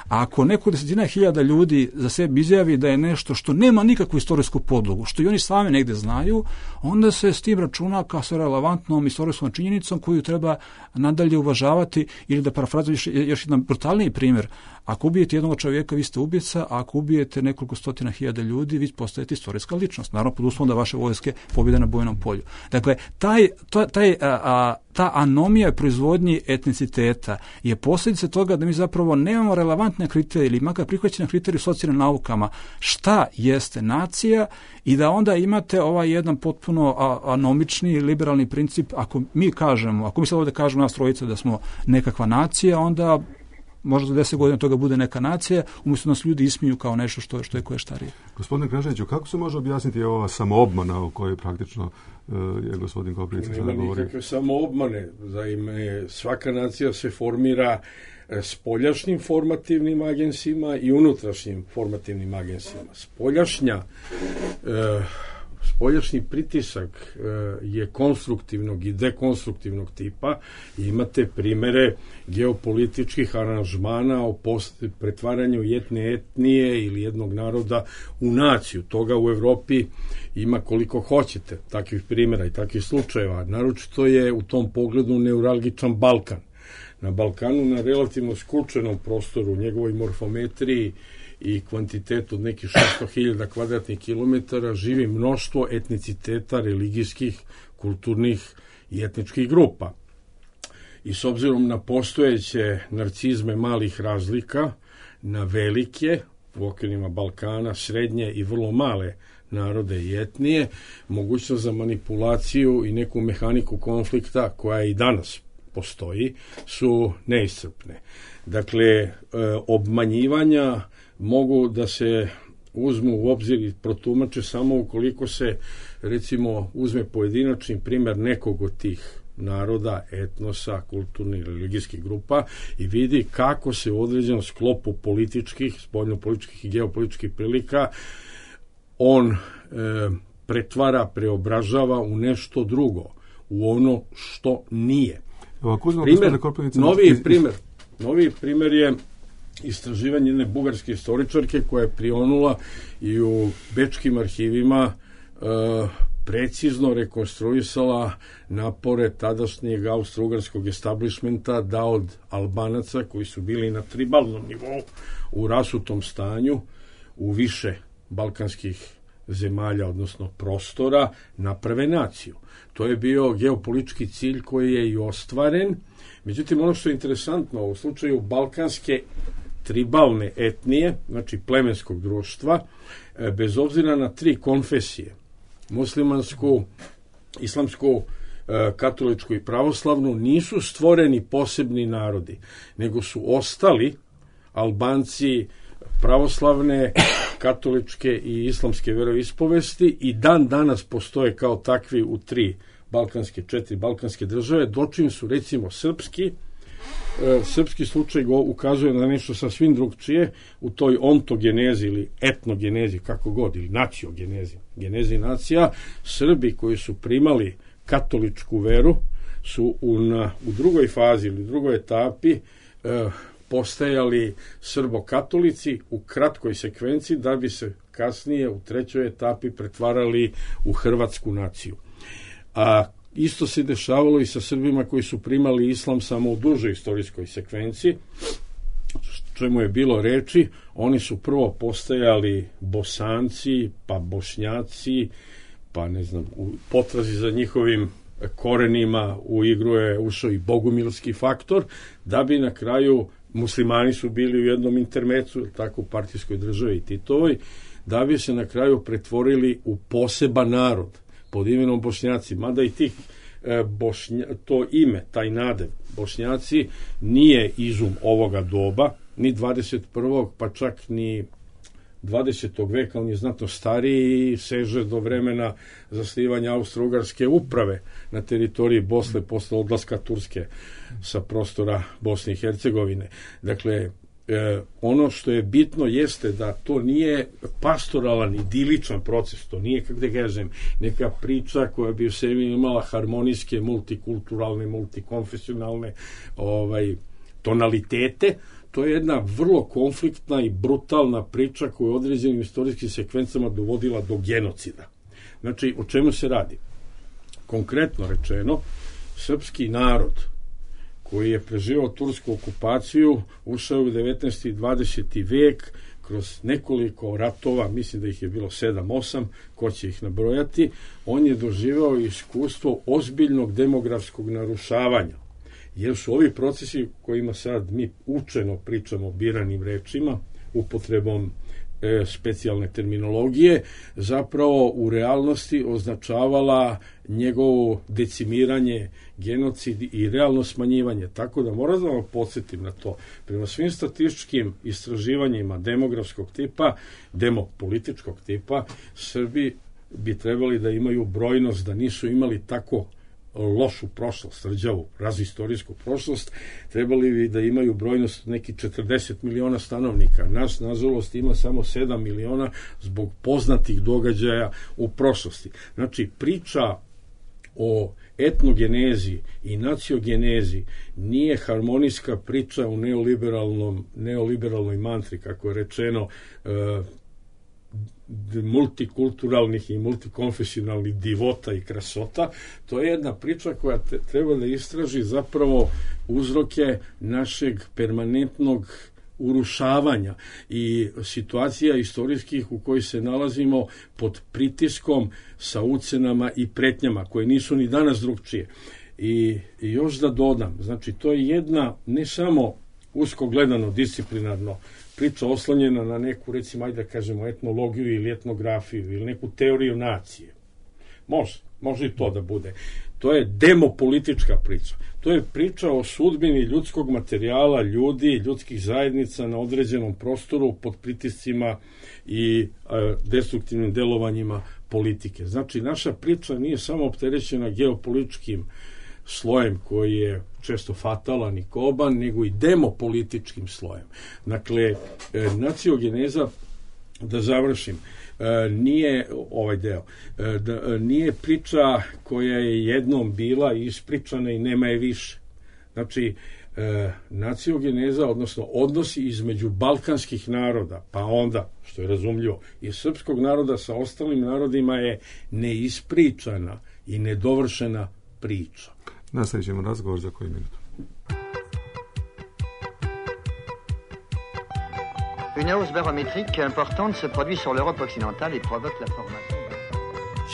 A ako neko desetina hiljada ljudi za sebi izjavi da je nešto što nema nikakvu istorijsku podlogu, što i oni sami negde znaju, onda se s tim računa kao sa relevantnom istorijskom činjenicom koju treba nadalje uvažavati. Ili da parafrazujem još, još jedan brutalniji primjer. Ako ubijete jednog čovjeka, vi ste ubica, a ako ubijete nekoliko stotina hiljada ljudi, vi postajete istorijska ličnost. Naravno, pod uslovom da vaše vojske pobjede na bojnom polju. Dakle, taj, taj, a, a, ta anomija proizvodnji etniciteta je posljedica toga da mi zapravo nemamo relevantne kriterije ili makar prihvaćene kriterije u socijalnim naukama šta jeste nacija i da onda imate ovaj jedan potpuno anomični liberalni princip. Ako mi kažemo, ako mi sad ovdje kažemo nas trojica da smo nekakva nacija, onda možda za deset godina toga bude neka nacija, umjesto nas ljudi ismiju kao nešto što, što je koje štarije. Gospodine Kneževiću, kako se može objasniti ova samoobmana o kojoj praktično uh, je gospodin Koprivica sada govori? Nema nikakve samoobmane. Zaime, svaka nacija se formira spoljašnjim formativnim agensima i unutrašnjim formativnim agensima. Spoljašnja uh, Spoljašnji pritisak e, je konstruktivnog i dekonstruktivnog tipa i imate primere geopolitičkih aranžmana o pretvaranju jedne etnije ili jednog naroda u naciju. Toga u Evropi ima koliko hoćete, takvih primjera i takvih slučajeva. Naročito je u tom pogledu neuralgičan Balkan. Na Balkanu, na relativno skučenom prostoru, njegovoj morfometriji i kvantitetu od nekih šesto hiljada kvadratnih kilometara živi mnoštvo etniciteta, religijskih, kulturnih i etničkih grupa. I s obzirom na postojeće narcizme malih razlika, na velike, u okvirima Balkana, srednje i vrlo male narode i etnije, mogućnost za manipulaciju i neku mehaniku konflikta koja i danas postoji, su neiscrpne. Dakle, e, obmanjivanja mogu da se uzmu u obzir i protumače samo ukoliko se, recimo, uzme pojedinačni primjer nekog od tih naroda, etnosa, kulturnih, religijskih grupa i vidi kako se u određenom sklopu političkih, spoljnopolitičkih i geopolitičkih prilika on e, pretvara, preobražava u nešto drugo, u ono što nije. Primjer, novi primjer, novi primjer je istraživanje jedne bugarske istoričarke koja je prionula i u bečkim arhivima e, precizno rekonstruisala napore tadašnjeg austro-ugarskog establishmenta da od Albanaca koji su bili na tribalnom nivou u rasutom stanju u više balkanskih zemalja, odnosno prostora, naprave naciju. To je bio geopolitički cilj koji je i ostvaren. Međutim, ono što je interesantno u slučaju balkanske tribalne etnije, znači plemenskog društva, bez obzira na tri konfesije, muslimansku, islamsku, katoličku i pravoslavnu, nisu stvoreni posebni narodi, nego su ostali Albanci pravoslavne, katoličke i islamske veroispovesti i dan danas postoje kao takvi u tri balkanske, četiri balkanske države, dočim su recimo srpski, e, srpski slučaj go ukazuje na nešto sasvim drugčije u toj ontogenezi ili etnogenezi, kako god, ili naciogenezi, genezi nacija. Srbi koji su primali katoličku veru su u, na, u drugoj fazi ili drugoj etapi e, postajali srbokatolici u kratkoj sekvenciji da bi se kasnije u trećoj etapi pretvarali u hrvatsku naciju. A isto se dešavalo i sa Srbima koji su primali islam samo u dužoj istorijskoj sekvenciji, čemu je bilo reči. Oni su prvo postajali Bosanci, pa Bošnjaci, pa ne znam, u potrazi za njihovim korenima u igru je ušao i bogumilski faktor, da bi na kraju muslimani su bili u jednom intermecu, tako u partijskoj državi i Titovoj, da bi se na kraju pretvorili u poseban narod pod imenom Bošnjaci. Mada i tih e, Bošnja, to ime, taj nadev Bošnjaci nije izum ovoga doba, ni dvadeset prvog pa čak ni dvadesetog veka, on je znatno stariji i seže do vremena zasnivanja austro-ugarske uprave na teritoriji Bosne posle odlaska Turske sa prostora Bosne i Hercegovine. Dakle, e, ono što je bitno jeste da to nije pastoralan, idiličan proces, to nije, kako da kažem, neka priča koja bi u sebi imala harmonijske, multikulturalne, multikonfesionalne ovaj, tonalitete. to je jedna vrlo konfliktna i brutalna priča koja je određenim istorijskim sekvencama dovodila do genocida. Znači, o čemu se radi? Konkretno rečeno, srpski narod koji je preživao tursku okupaciju, ušao u devetnaesti i dvadeseti vek kroz nekoliko ratova, mislim da ih je bilo sedam osam, ko će ih nabrojati, on je doživao iskustvo ozbiljnog demografskog narušavanja. Jer su ovi procesi kojima sad mi učeno pričamo biranim rečima, upotrebom e, specijalne terminologije, zapravo u realnosti označavala njegovo decimiranje, genocid i realno smanjivanje. Tako da moram da vam podsjetim na to. Prema svim statističkim istraživanjima demografskog tipa, demopolitičkog tipa, Srbi bi trebali da imaju brojnost, da nisu imali tako lošu prošlost, rđavu, razistorijsku prošlost, trebali bi da imaju brojnost neki četrdeset miliona stanovnika. Nas, nažalost, ima samo sedam miliona zbog poznatih događaja u prošlosti. Znači, priča o etnogenezi i naciongenezi nije harmonijska priča u neoliberalnom, neoliberalnoj mantri, kako je rečeno, e, multikulturalnih i multikonfesionalnih divota i krasota. To je jedna priča koja te, treba da istraži zapravo uzroke našeg permanentnog urušavanja i situacija istorijskih u kojoj se nalazimo pod pritiskom sa ucenama i pretnjama koje nisu ni danas drugčije. I, i još da dodam, znači to je jedna ne samo usko gledano disciplinarno priča oslonjena na neku, recimo, ajde da kažemo, etnologiju ili etnografiju ili neku teoriju nacije. Može, može i to da bude. To je demopolitička priča. To je priča o sudbini ljudskog materijala, ljudi, ljudskih zajednica na određenom prostoru pod pritiscima i e, destruktivnim delovanjima politike. Znači, naša priča nije samo opterećena geopolitičkim slojem koji je često fatalan i koban, nego i demopolitičkim slojem. Dakle, e, naciongeneza, da završim, e, nije ovaj deo, e, da, nije priča koja je jednom bila ispričana i nema je više. Znači, e, naciongeneza, odnosno odnosi između balkanskih naroda, pa onda, što je razumljivo, i srpskog naroda sa ostalim narodima je neispričana i nedovršena priča. Nastavit ćemo razgovor za koju minutu. Une hausse barométrique importante se produit sur l'Europe occidentale et provoque la formation.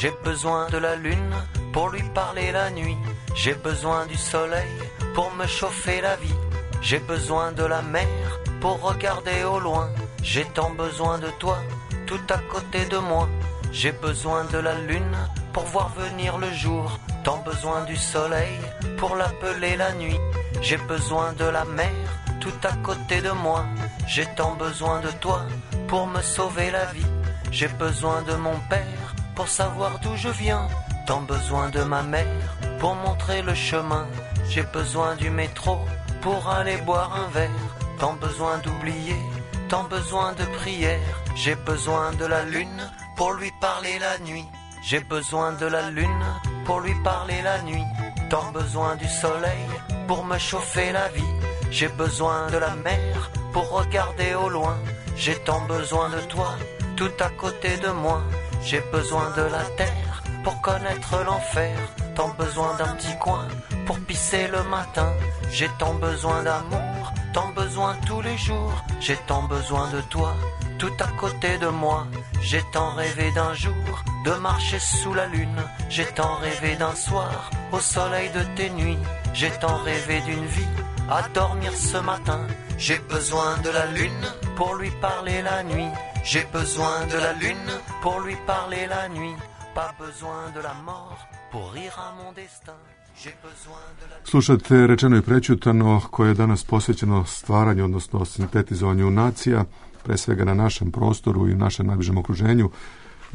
J'ai besoin de la lune pour lui parler la nuit. J'ai besoin du soleil pour me chauffer la vie. J'ai besoin de la mer pour regarder au loin. J'ai tant besoin de toi, tout à côté de moi. J'ai besoin de la lune pour voir venir le jour. Tant besoin du soleil pour l'appeler la nuit. J'ai besoin de la mer tout à côté de moi. J'ai tant besoin de toi pour me sauver la vie. J'ai besoin de mon père pour savoir d'où je viens. Tant besoin de ma mère pour montrer le chemin. J'ai besoin du métro pour aller boire un verre. Tant besoin d'oublier, tant besoin de prière. J'ai besoin de la lune pour lui parler la nuit. J'ai besoin de la lune pour lui parler la nuit. Tant besoin du soleil pour me chauffer la vie. J'ai besoin de la mer pour regarder au loin. J'ai tant besoin de toi, tout à côté de moi. J'ai besoin de la terre pour connaître l'enfer. Tant besoin d'un petit coin pour pisser le matin. J'ai tant besoin d'amour, tant besoin tous les jours. J'ai tant besoin de toi, tout à côté de moi. J'ai tant rêvé d'un jour de marcher sous la lune. J'ai tant rêvé d'un soir au soleil de tes nuits. J'ai tant rêvé d'une vie à dormir ce matin. J'ai besoin de la lune pour lui parler la nuit. J'ai besoin de la lune pour lui parler la nuit. Pas besoin de la mort pour rire à mon destin. Slušate Rečeno i prećutano, koje je danas posvećeno stvaranju, odnosno sintetizovanju nacija, pre svega na našem prostoru i našem najbližem okruženju.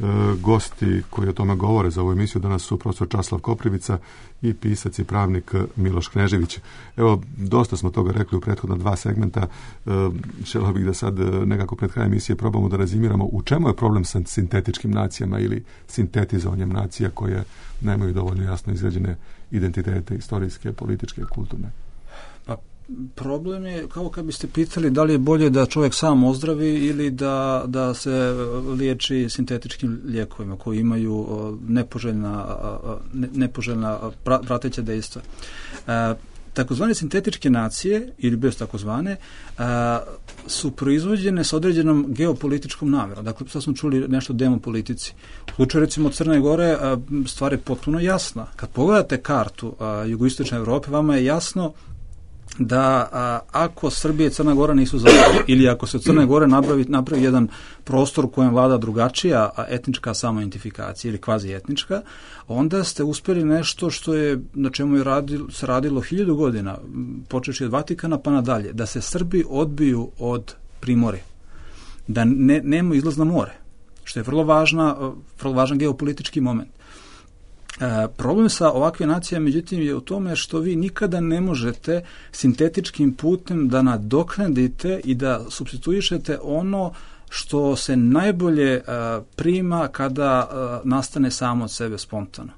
E, gosti koji o tome govore za ovu emisiju danas su profesor Časlav Koprivica i pisac i pravnik Miloš Knežević. Evo, dosta smo toga rekli u prethodna dva segmenta. E, želeo bih da sad nekako pred kraj emisije probamo da razimiramo u čemu je problem sa sintetičkim nacijama ili sintetizovanjem nacija koje nemaju dovoljno jasno izgrađene identitete, istorijske, političke, kulturne. Pa, problem je kao kad biste pitali da li je bolje da čovjek sam ozdravi ili da, da se liječi sintetičkim lijekovima koji imaju nepoželjna, nepoželjna prateća dejstva. Takozvane sintetičke nacije, ili bez takozvane, a, su proizvođene s određenom geopolitičkom namjerom. Dakle, sad smo čuli nešto o demopolitici. U slučaju, recimo, Crne Gore, a, stvar je potpuno jasna. Kad pogledate kartu a, jugoistočne Evrope, vama je jasno da a, ako Srbija i Crna Gora nisu zajedno, ili ako se u Crne Gore napravi, napravi jedan prostor u kojem vlada drugačija etnička samoidentifikacija ili kvazi etnička, onda ste uspjeli nešto što je, na čemu je radilo, se radilo hiljadu godina, počeši od Vatikana pa nadalje, da se Srbi odbiju od Primorja, da ne, nema izlaz na more, što je vrlo, važna, vrlo važan geopolitički moment. E, problem sa ovakve nacije, međutim, je u tome što vi nikada ne možete sintetičkim putem da nadoknadite i da supstituišete ono što se najbolje e, prima kada e, nastane samo od sebe spontano.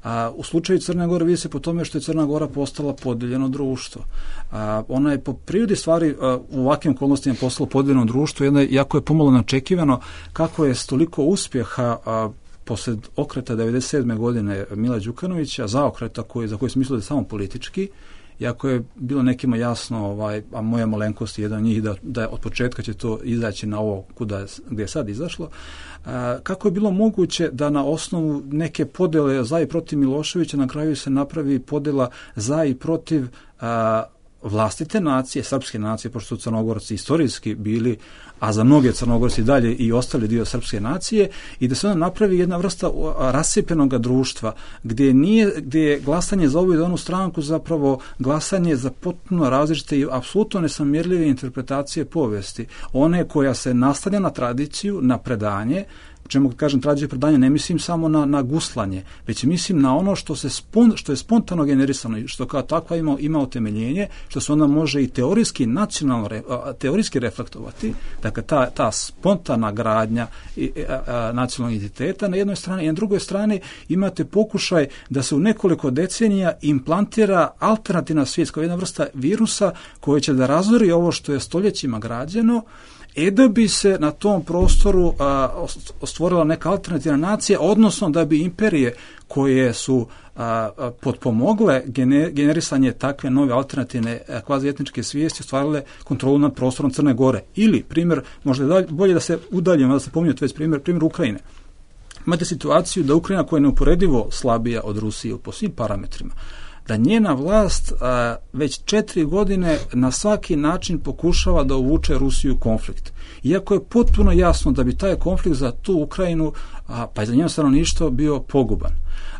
A, u slučaju Crne Gore vidi se po tome što je Crna Gora postala podijeljeno društvo. A, ona je po prirodi stvari a, u ovakvim okolnostima postala podijeljeno društvo, jedno, jako je pomalo neočekivano kako je s toliko uspjeha a, posled okreta devedeset sedme godine Mila Đukanovića, zaokreta koji, za koji smo mislili da je samo politički, iako je bilo nekima jasno, ovaj, a moja malenkost je jedan njih, da, da od početka će to izaći na ovo kuda, gdje je sad izašlo, a, kako je bilo moguće da na osnovu neke podjele za i protiv Miloševića na kraju se napravi podjela za i protiv a, vlastite nacije, srpske nacije, pošto su Crnogorci istorijski bili, a za mnoge Crnogorci dalje i ostali dio srpske nacije, i da se onda napravi jedna vrsta rascijepljenog društva, gdje nije, gdje je glasanje za ovu i onu stranku zapravo glasanje za potpuno različite i apsolutno nesamjerljive interpretacije povijesti. One koja se nastavlja na tradiciju, na predanje, čemu kažem tradiciju predanja, ne mislim samo na, na guslanje, već mislim na ono što se spon, što je spontano generisano i što kao takva ima, ima utemeljenje, što se onda može i teorijski nacionalno teorijski reflektovati. Dakle, ta, ta spontana gradnja i, a, a, nacionalnog identiteta na jednoj strani, i na drugoj strani imate pokušaj da se u nekoliko decenija implantira alternativna svijest kao jedna vrsta virusa koja će da razori ovo što je stoljećima građeno, e da bi se na tom prostoru a, stvorila neka alternativna nacija, odnosno da bi imperije koje su a, a, potpomogle gener, generisanje takve nove alternativne kvazietničke svijesti ostvarile kontrolu nad prostorom Crne Gore. Ili, primjer, možda je bolje da se udaljimo, da se pominjate već primjer, primjer Ukrajine. Imate situaciju da Ukrajina, koja je neuporedivo slabija od Rusije po svim parametrima, da njena vlast a, već četiri godine na svaki način pokušava da uvuče Rusiju u konflikt. Iako je potpuno jasno da bi taj konflikt za tu Ukrajinu, a, pa i za njeno stanovništvo, bio poguban.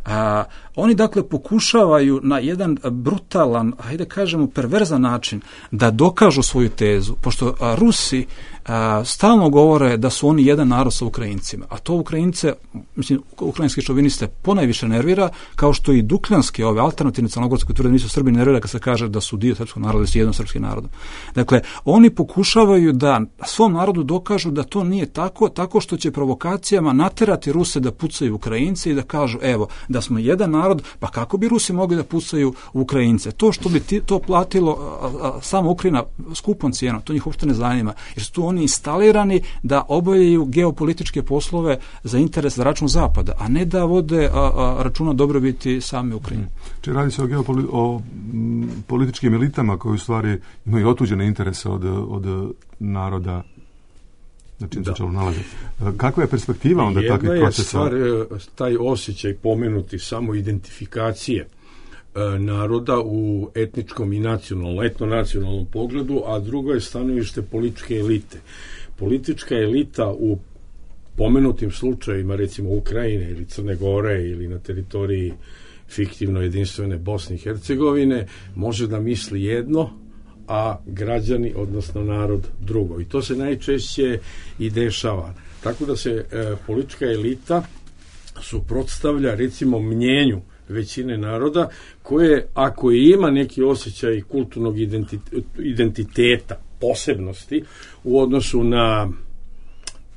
A, oni dakle pokušavaju na jedan brutalan, hajde kažemo perverzan način da dokažu svoju tezu, pošto a, Rusi a, stalno govore da su oni jedan narod sa Ukrajincima, a to Ukrajince, mislim, ukrajinski šoviniste ponajviše nervira, kao što i dukljanske, ove alternativne crnogorske kulture nisu Srbi, nervira kad se kaže da su dio srpskog naroda, da su jedno srpski narodom. Dakle, oni pokušavaju da svom narodu dokažu da to nije tako, tako što će provokacijama naterati Ruse da pucaju Ukrajince i da kažu, evo, da smo jedan narod, pa kako bi Rusi mogli da pucaju Ukrajince? To što bi ti, to platilo a, a, samo Ukrajina skupom cijenom, to njih uopšte ne zanima, jer su tu oni instalirani da obavljaju geopolitičke poslove za interes, za račun Zapada, a ne da vode a, a, računa dobrobiti same Ukrajine. Če radi se o, geopoli, o m, političkim elitama koji u stvari imaju otuđene interese od, od naroda na čim se čelo nalazi. Kakva je perspektiva onda takvih procesa? Jedna je stvar, taj osjećaj pomenuti samo identifikacije e, naroda u etničkom i nacionalnom, etno-nacionalnom pogledu, a drugo je stanovište političke elite. Politička elita u pomenutim slučajima, recimo Ukrajine ili Crne Gore ili na teritoriji fiktivno jedinstvene Bosne i Hercegovine, može da misli jedno, a građani, odnosno narod, drugo. I to se najčešće i dešava. Tako da se e, politička elita suprotstavlja, recimo, mnjenju većine naroda, koje, ako ima neki osjećaj kulturnog identiteta, identiteta, posebnosti u odnosu na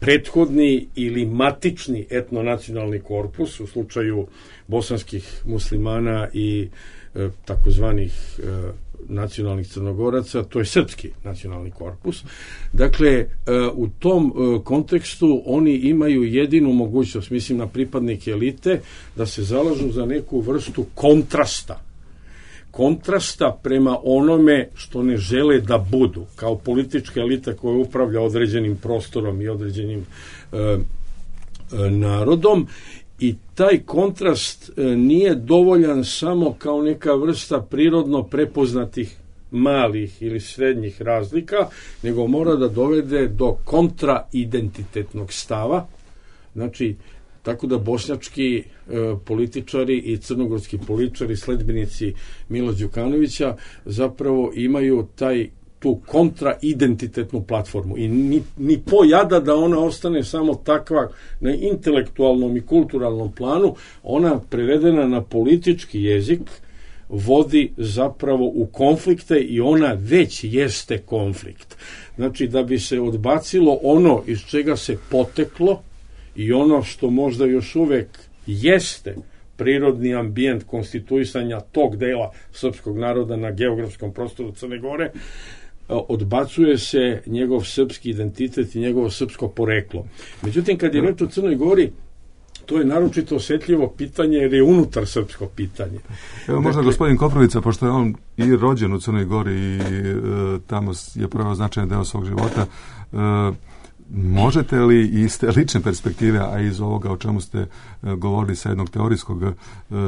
prethodni ili matični etnonacionalni korpus u slučaju bosanskih muslimana i e, takozvanih e, nacionalnih Crnogoraca, to je srpski nacionalni korpus. Dakle, e, u tom e, kontekstu oni imaju jedinu mogućnost, mislim na pripadnike elite, da se zalažu za neku vrstu kontrasta. Kontrasta prema onome što ne žele da budu, kao politička elita koja upravlja određenim prostorom i određenim e, e, narodom. I taj kontrast e, nije dovoljan samo kao neka vrsta prirodno prepoznatih malih ili srednjih razlika, nego mora da dovede do kontraidentitetnog stava. Znači, tako da bošnjački e, političari i crnogorski političari, sledbenici Mila Đukanovića, zapravo imaju taj tu kontraidentitetnu platformu i ni, ni pojada da ona ostane samo takva na intelektualnom i kulturalnom planu, ona prevedena na politički jezik vodi zapravo u konflikte i ona već jeste konflikt. Znači, da bi se odbacilo ono iz čega se poteklo i ono što možda još uvek jeste prirodni ambijent konstituisanja tog dela srpskog naroda na geografskom prostoru Crne Gore, odbacuje se njegov srpski identitet i njegovo srpsko poreklo. Međutim, kad je reč o Crnoj Gori, to je naročito osjetljivo pitanje jer je unutar srpsko pitanje. Evo možda dakle, gospodin Koprivica, pošto je on i rođen u Crnoj Gori i e, tamo je prvo značajan deo svog života, e, možete li iz te lične perspektive, a iz ovoga o čemu ste e, govorili sa jednog teorijskog e,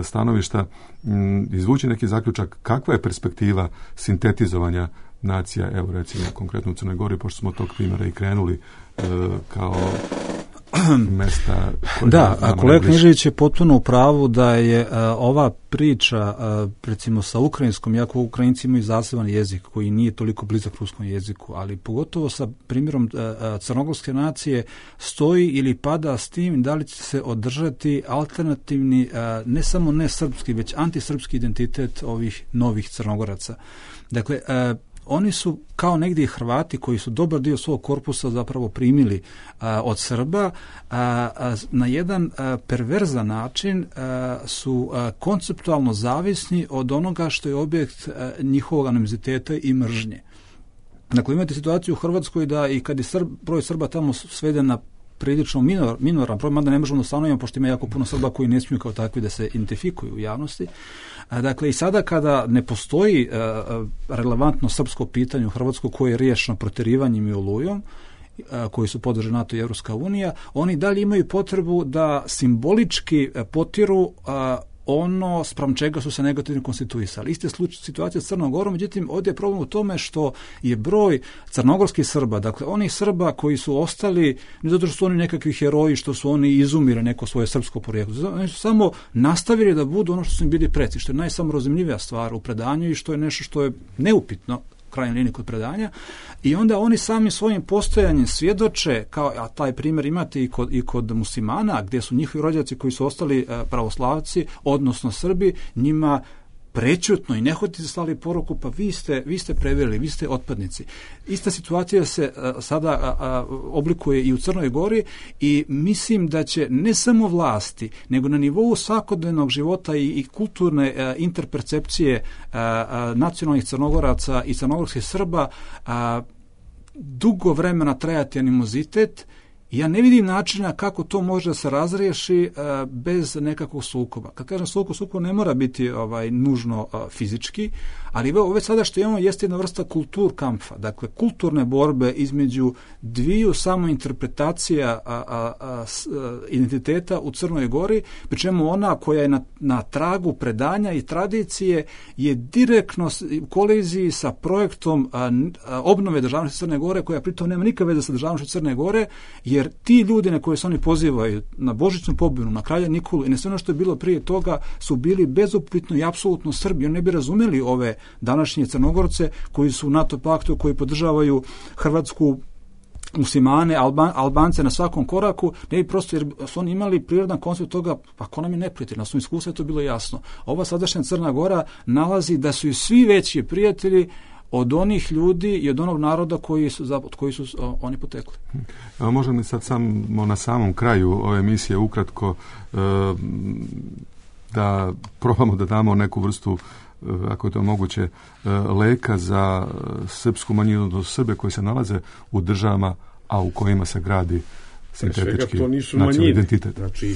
stanovišta, m, izvući neki zaključak kakva je perspektiva sintetizovanja nacija, evo recimo konkretno u Crnoj Gori, pošto smo od tog primjera i krenuli e, kao mesta... Da, a kolega Knežević je potpuno u pravu da je a, ova priča, a, recimo sa ukrajinskom, jako Ukrajinci imaju zaseban jezik koji nije toliko blizak ruskom jeziku, ali pogotovo sa primjerom a, a, crnogorske nacije stoji ili pada s tim da li će se održati alternativni, a, ne samo ne srpski, već antisrpski identitet ovih novih Crnogoraca. Dakle, a, oni su kao negdje Hrvati koji su dobar dio svog korpusa zapravo primili a, od Srba, a, a, na jedan a, perverzan način a, su a, konceptualno zavisni od onoga što je objekt a, njihovog animoziteta i mržnje. Dakle, imate situaciju u Hrvatskoj da i kad je Srb, broj Srba tamo sveden na prilično minor, minoran broj, mada ne možemo da ustanovimo, pošto ima jako puno Srba koji ne smiju kao takvi da se identifikuju u javnosti. Dakle, i sada kada ne postoji uh, relevantno srpsko pitanje u Hrvatskoj koje je riješeno proterivanjem i olujom, uh, koji su podržali NATO i Evropska unija, oni dalje imaju potrebu da simbolički uh, potiru uh, ono spram čega su se negativno konstituisali. Iste situacija s Crnom Gorom, međutim, ovdje je problem u tome što je broj crnogorskih Srba, dakle, onih Srba koji su ostali, ne zato što su oni nekakvi heroji, što su oni izumili neko svoje srpsko porijeklo, oni su samo nastavili da budu ono što su im bili preci, što je najsamorazumljivija stvar u predanju i što je nešto što je neupitno krajnjoj liniji kod predanja, i onda oni sami svojim postojanjem svjedoče, kao, a taj primjer imate i kod, i kod muslimana, gdje su njihovi rođaci koji su ostali pravoslavci, odnosno Srbi, njima prečutno i nehotice slali poruku, pa vi ste, vi ste preveli, vi ste otpadnici. Ista situacija se a, sada a, a, oblikuje i u Crnoj Gori i mislim da će ne samo vlasti, nego na nivou svakodnevnog života i, i kulturne a, interpercepcije a, a, nacionalnih Crnogoraca i crnogorskih Srba a, dugo vremena trajati animozitet. Ja ne vidim načina kako to može da se razriješi uh, bez nekakvog sukoba. Kad kažem sukob, sukob ne mora biti ovaj nužno uh, fizički, ali ove sada što imamo jeste jedna vrsta kulturkampfa, dakle kulturne borbe između dviju samointerpretacija a, a, a, s, a, identiteta u Crnoj Gori, pri čemu ona koja je na, na tragu predanja i tradicije je direktno u koliziji sa projektom a, a, obnove državnosti Crne Gore, koja pritom nema nikakve veze sa državnošću Crne Gore, jer ti ljudi na koje se oni pozivaju, na Božićnu pobunu, na kralja Nikolu i na sve ono što je bilo prije toga, su bili bezupitno i apsolutno Srbi. Oni ne bi razumeli ove današnje Crnogorce koji su u NATO paktu, koji podržavaju Hrvatsku, muslimane, Alban, Albance na svakom koraku, ne bi prosto, jer su oni imali prirodan koncept toga, pa ko nam je neprijatelj, na svom iskustvu je to bilo jasno. Ova sadašnja Crna Gora nalazi da su i svi veći prijatelji od onih ljudi i od onog naroda koji su, od koji su o, oni potekli. Evo, možemo li sad samo na samom kraju ove emisije ukratko e, da probamo da damo neku vrstu, ako je to moguće, leka za srpsku manjinu, do Srbe koji se nalaze u državama, a u kojima se gradi sintetički nacionalni identitet. Znači,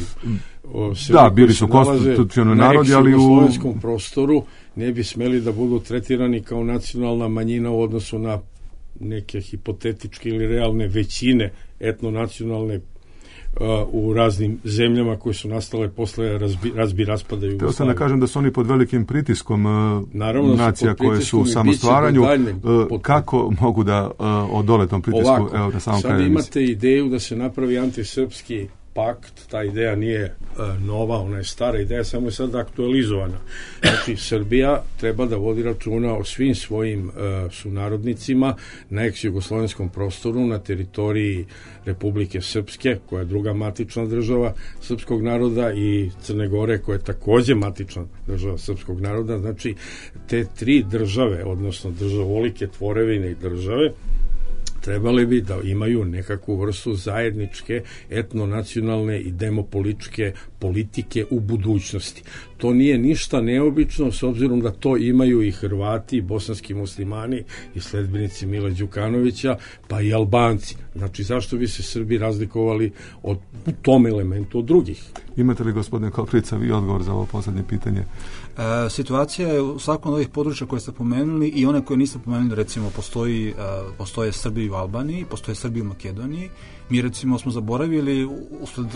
o, da, bili su konstitucionalni narodi, ali u slovenskom prostoru ne bi smeli da budu tretirani kao nacionalna manjina u odnosu na neke hipotetičke ili realne većine etnonacionalne u raznim zemljama koje su nastale posle razbi, razbi raspada Jugoslavije. Teo sam da kažem da su oni pod velikim pritiskom Naravno, nacija pod koje su u samostvaranju. Kako mogu da odole tom pritisku? Ovako, evo, na samom sad imate ideju da se napravi antisrpski pakt, ta ideja nije uh, nova, ona je stara ideja, samo je sad aktualizovana. Znači, Srbija treba da vodi računa o svim svojim uh, sunarodnicima na ex-jugoslovenskom prostoru, na teritoriji Republike Srpske, koja je druga matična država srpskog naroda, i Crne Gore, koja je takođe matična država srpskog naroda. Znači, te tri države, odnosno državolike tvorevine i države, trebali bi da imaju nekakvu vrstu zajedničke etnonacionalne i demopolitičke politike u budućnosti. To nije ništa neobično, s obzirom da to imaju i Hrvati, i bosanski muslimani, i sledbenici Mila Đukanovića, pa i Albanci. Znači, zašto bi se Srbi razlikovali od, u tom elementu od drugih? Imate li, gospodine Koprivica, vi odgovor za ovo poslednje pitanje? E, situacija je u svakom od ovih područja koje ste pomenuli i one koje niste pomenuli, recimo, postoji, e, postoje Srbi u Albaniji, postoje Srbi u Makedoniji. Mi, recimo, smo zaboravili, usled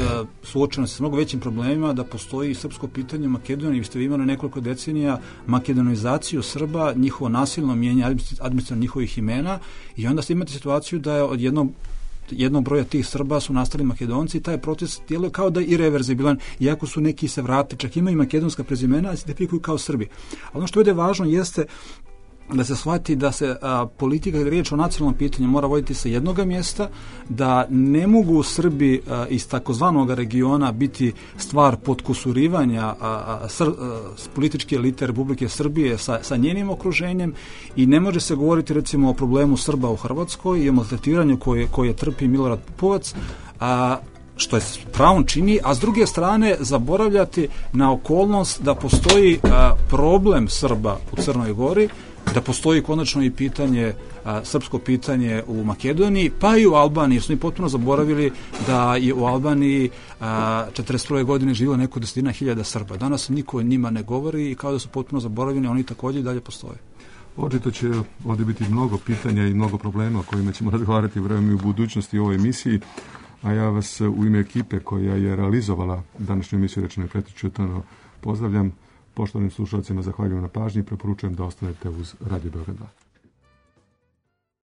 suočeno se s mnogo većim problemima, da postoji srpsko pitanje u Makedoniji. Vi ste imali nekoliko decenija makedonizaciju Srba, njihovo nasilno mijenje administrativno njihovih imena, i onda ste imate situaciju da je od jednog jednog broja tih Srba su nastali Makedonci, i taj proces djeluje kao da je irreverzibilan, iako su neki se vrati, čak imaju makedonska prezimena, ali se identifikuju kao Srbi. A ono što je važno jeste da se shvati da se a, politika, ili riječ o nacionalnom pitanju, mora voditi sa jednog mjesta, da ne mogu Srbi a, iz takozvanog regiona biti stvar podkusurivanja a, a, sr, a, političke elite Republike Srbije sa, sa njenim okruženjem, i ne može se govoriti, recimo, o problemu Srba u Hrvatskoj i o maltretiranju koje, koje trpi Milorad Pupovac, a što je pravom čini, a s druge strane zaboravljati na okolnost da postoji a, problem Srba u Crnoj Gori, da postoji konačno i pitanje, a, srpsko pitanje u Makedoniji, pa i u Albaniji, jer su mi potpuno zaboravili da je u Albaniji a, četrdeset prve godine živjelo neko desetina hiljada Srba. Danas niko o njima ne govori i kao da su potpuno zaboravljeni, oni također i dalje postoje. Očito će ovdje biti mnogo pitanja i mnogo problema o kojima ćemo razgovarati vremenu i u budućnosti u ovoj emisiji, a ja vas u ime ekipe koja je realizovala današnju emisiju Rečeno i prećutano pozdravljam. Poštovanim slušalcima zahvaljujem na pažnji i preporučujem da ostanete uz Radio Beograd dva.